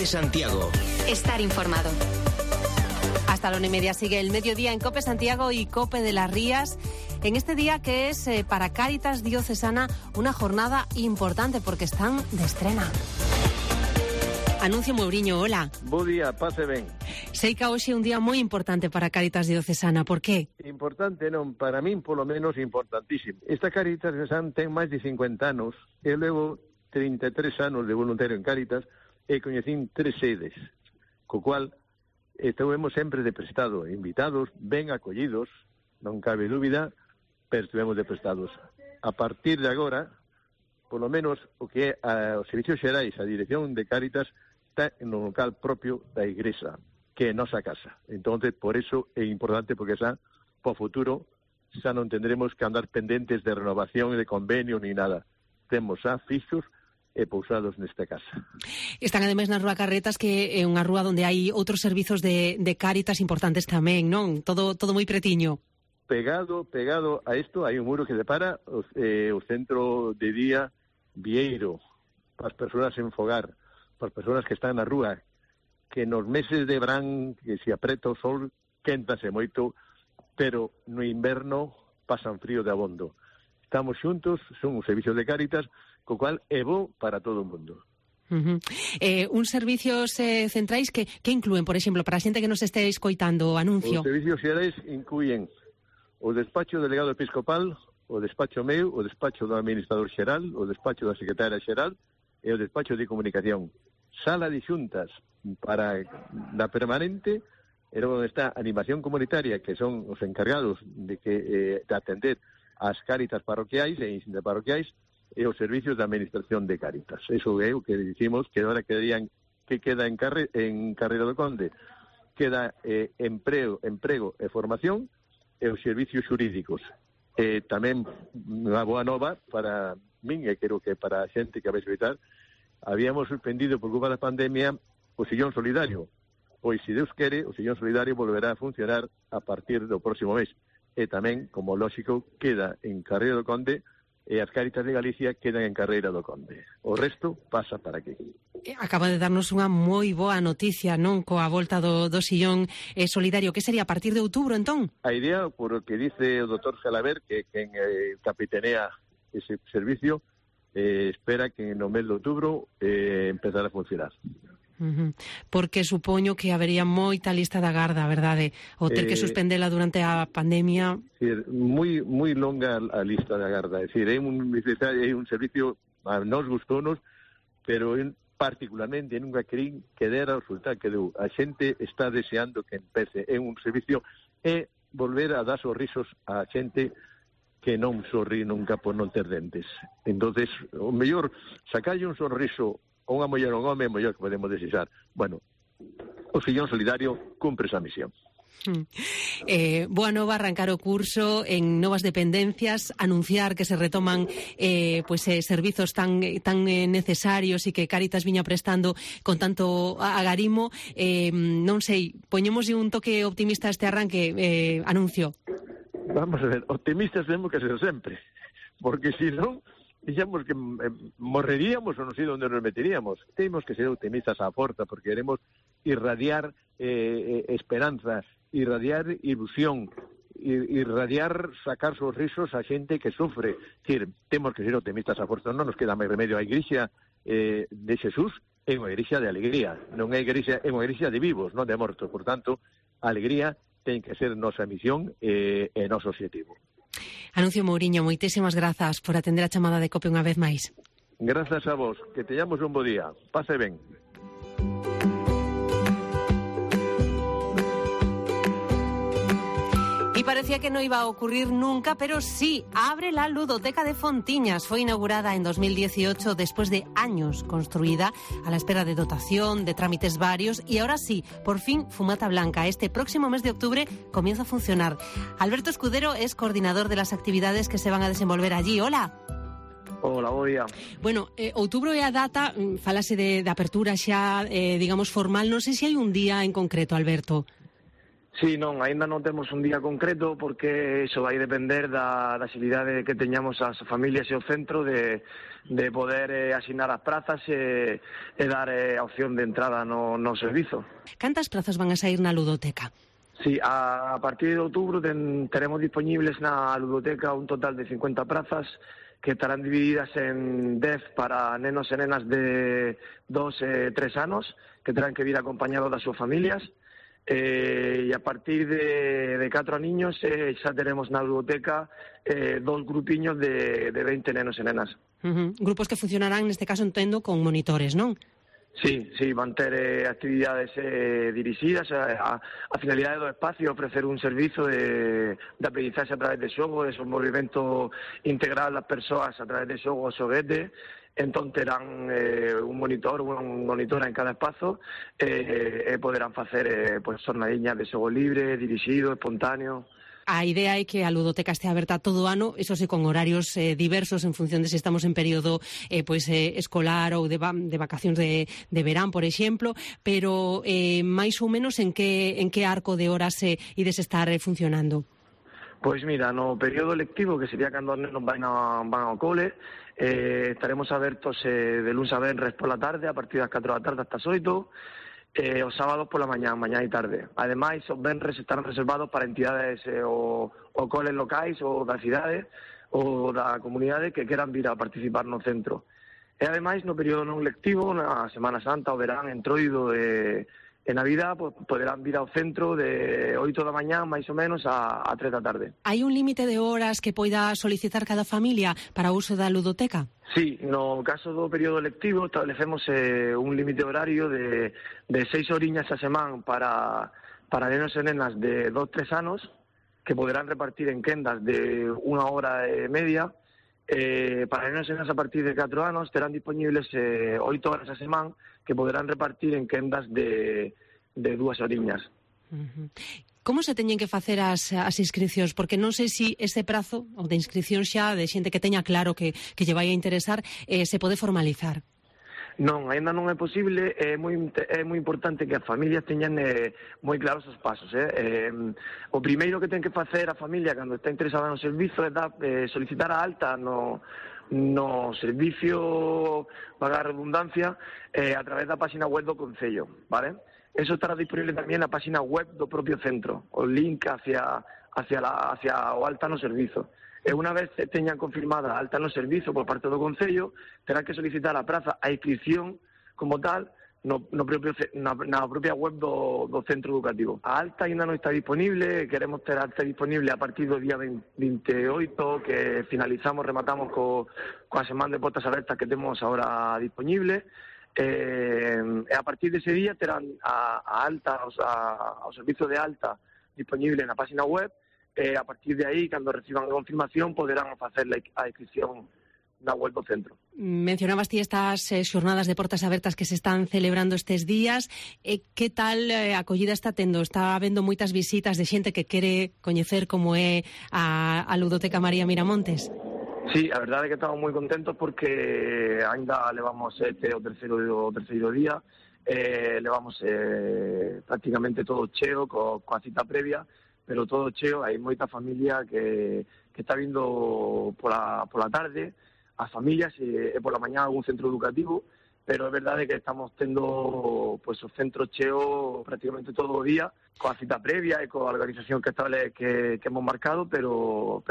Santiago. Estar informado. Hasta la 1:30 sigue el mediodía en COPE Santiago y COPE de las Rías. En este día que es para Cáritas Diocesana una jornada importante porque están de estrena. Anuncio Mouriño, hola. Bo día, pase ben. Sei que hoxe é un día moi importante para Cáritas Diocesana, por qué? Importante non, para min polo menos importantísimo. Esta Cáritas Diocesana ten máis de 50 anos, e levo 33 anos de voluntario en Cáritas e coñecín 3 sedes, co cual estuvemos sempre de prestado, invitados, ben acollidos, non cabe dúbida, pero estuvemos de prestados. A partir de agora, polo menos o que é os servicios xerais, a dirección de Cáritas, está no local propio da igrexa, que é nosa casa. Entonces, por eso é importante, porque xa, po futuro, xa non tendremos que andar pendentes de renovación, de convenio, ni nada. Temos xa fixos e pousados nesta casa. Están ademais na Rúa Carretas, que é unha rúa onde hai outros servizos de Cáritas importantes tamén, non? Todo moi pretiño. Pegado a isto, hai un muro que separa o centro de día Vieiro, para as persoas en fogar, para as persoas que están na rúa, que nos meses de verán, que se apreta o sol, quéntase moito, pero no inverno pasan frío de abondo. Estamos xuntos, son os servicios de Cáritas, co cual é bo para todo o mundo. Uns servicios centrais que incluen, por exemplo, para a xente que nos este escoitando o anuncio? Os servicios xerais incluen o despacho do delegado episcopal, o despacho meu, o despacho do administrador xeral, o despacho da secretaria xeral e o despacho de comunicación. Sala de xuntas para da permanente, era onde está animación comunitaria, que son os encargados de atender as Cáritas parroquiais e interparroquiais e os servicios de administración de Cáritas. Eso é o que dicimos que agora que queda en Carreira do Conde. Queda emprego e formación e os servicios xurídicos. Tamén unha boa nova para min, e creo que para a xente que vai visitar, habíamos suspendido por culpa da pandemia o sillón solidario. Pois, se Deus quere, o sillón solidario volverá a funcionar a partir do próximo mes. E tamén, como lógico, queda en Carreira do Conde e as Cáritas de Galicia quedan en Carreira do Conde. O resto pasa para aquí. Acaba de darnos unha moi boa noticia, non? Coa volta do sillón solidario. Que sería a partir de outubro, entón? A idea, por o que dice o doutor Salaver, que capitanea ese servicio, espera que no mes de outubro empezar a funcionar. Porque supoño que habería moita lista da garda, verdade? O ter que suspendela durante a pandemia. Moi longa a lista da garda. É dicir, é un servicio, a nos gustounos, pero particularmente nunca querín que dera o resultado que deu. A xente está deseando que empece. É un servicio e volver a dar sorrisos a xente que non sorrí nunca por non ter dentes. Entonces, o mellor, sacalle un sorriso a unha muller ou un home, é o mellor que podemos desexar. Bueno, o sillón solidario cumpre esa misión. Boa nova, arrancar o curso en novas dependencias, anunciar que se retoman servizos tan necesarios e que Cáritas viña prestando con tanto agarimo. Non sei, poñémoslle un toque optimista a este arranque, anuncio. Vamos a ver, optimistas temos que ser sempre, porque se non, dixemos que morreríamos ou non sei onde nos meteríamos. Temos que ser optimistas á porta, porque queremos irradiar esperanza, irradiar ilusión, irradiar, sacar sorrisos a xente que sufre. Decir, temos que ser optimistas á porta, non nos queda máis remedio. A igrexa de Xesús é unha igrexa de alegría, non é unha igrexa de vivos, non de mortos. Por tanto, a alegría ten que ser nosa misión e noso objetivo. Anuncio Mouriño, moitísimas grazas por atender a chamada de COPE unha vez máis. Grazas a vos, que teñamos un bo día. Pase ben. Y parecía que no iba a ocurrir nunca, pero sí, abre la Ludoteca de Fontiñas. Fue inaugurada en 2018 después de años construida a la espera de dotación, de trámites varios, y ahora sí, por fin Fumata Blanca. Este próximo mes de octubre comienza a funcionar. Alberto Escudero es coordinador de las actividades que se van a desenvolver allí. Hola. Hola, bo día. Bueno, outubro é a data, falase de apertura xa, digamos, formal. Non sei se hai un día en concreto, Alberto. Sí, non, aínda non temos un día concreto porque iso vai depender da xilidade que teñamos as familias e o centro de poder asignar as prazas e dar a opción de entrada no servizo. Cantas prazas van a sair na ludoteca? Sí, a partir de outubro teremos disponibles na ludoteca un total de 50 prazas que estarán divididas en 10 para nenos e nenas de 2 e 3 anos que terán que vir acompañados das súas familias. E a partir de 4 niños xa teremos na ludoteca 2 grupiños de 20 nenos e nenas. Grupos que funcionarán, neste caso, entendo, con monitores, non? Sí, van ter actividades dirixidas. A finalidade do espacio é ofrecer un servizo de aprendizaxe a través de xogo, de desenvolvemento integral das persoas a través de xogo o xoguete. Entón terán un monitor, unha monitora en cada espazo e poderán facer xornadiñas de xogo libre, dirixido, espontáneo. A idea é que a ludoteca este aberta todo o ano, eso sí, con horarios diversos en función de se estamos en período escolar ou de vacacións de verán, por exemplo, pero máis ou menos en que arco de horas ides estar funcionando? Pois mira, no período lectivo, que sería cando os nenos van ao cole, estaremos abertos de luns a venres pola tarde, a partir das 4 da tarde hasta as 8, os sábados pola mañá e tarde. Ademais, os venres están reservados para entidades ou coles locais ou da cidade ou da comunidade que queran vir a participar no centro. E ademais, no período non lectivo, na Semana Santa, o verán, entroido e Navidad, poderán vir ao centro de 8 da mañá, máis ou menos, a 3 da tarde. Hai un límite de horas que poida solicitar cada familia para o uso da ludoteca? Sí, no caso do período lectivo establecemos un límite horario de 6 horiñas a semana para nenos e nenas de 2-3 anos, que poderán repartir en quendas de 1 hora e media. Para nenos e nenas a partir de 4 anos terán disponibles 8 horas a semana que poderán repartir en quendas de 2 horiñas. Como se teñen que facer as inscripcións? Porque non sei se ese prazo de inscripción xa de xente que teña claro que lle vai a interesar se pode formalizar. Non, aínda non é posible, é moi importante que as familias teñan moi claros os pasos. O primeiro que ten que facer a familia cando está interesada no servizo é solicitar a alta no servicio, paga a redundancia, a través da página web do Concello, vale? Eso estará disponible tamén na página web do propio centro, o link hacia o alta no servizo. E unha vez teñan confirmada a alta no servizo por parte do Concello, terán que solicitar a praza a inscripción como tal na propia web do centro educativo. A alta ainda non está disponible, queremos ter a alta disponible a partir do día 28, que rematamos coa semana de portas abertas que temos agora disponible. A partir dese día terán a alta, o servizo de alta disponible na página web. A partir de aí, cando reciban a confirmación, poderán facer a inscripción na web do centro. Mencionabas ti estas xornadas de portas abertas que se están celebrando estes días. Que tal acollida está tendo? Está habendo moitas visitas de xente que quere coñecer como é a ludoteca María Miramontes? Sí, a verdade é que estamos moi contentos porque ainda levamos o terceiro día, levamos prácticamente todo cheo coa cita previa, pero todo cheo. Hai moita familia que está vindo pola tarde, as familias e pola mañá algún centro educativo, pero é verdade que estamos tendo o centro cheo prácticamente todo o día, coa cita previa e coa organización que hemos marcado, pero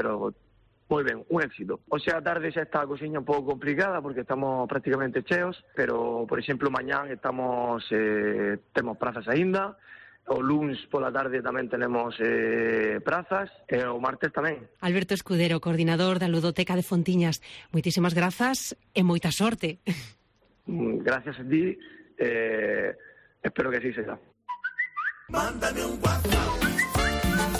moi ben, un éxito. O sea, a tarde xa está a cosiña un pouco complicada porque estamos prácticamente cheos, pero, por exemplo, mañán temos prazas aínda. O luns pola tarde tamén tenemos prazas, e o martes tamén. Alberto Escudero, coordinador da Ludoteca de Fontiñas, moitísimas grazas e moita sorte. Gracias a ti, espero que así será. Mándame un WhatsApp.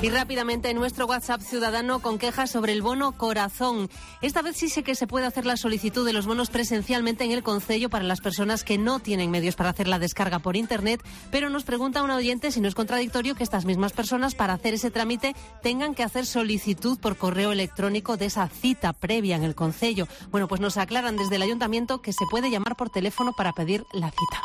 Y rápidamente nuestro WhatsApp ciudadano con quejas sobre el bono Corazón. Esta vez sí sé que se puede hacer la solicitud de los bonos presencialmente en el concello para las personas que no tienen medios para hacer la descarga por internet, pero nos pregunta un oyente si no es contradictorio que estas mismas personas para hacer ese trámite tengan que hacer solicitud por correo electrónico de esa cita previa en el concello. Bueno, pues nos aclaran desde el ayuntamiento que se puede llamar por teléfono para pedir la cita.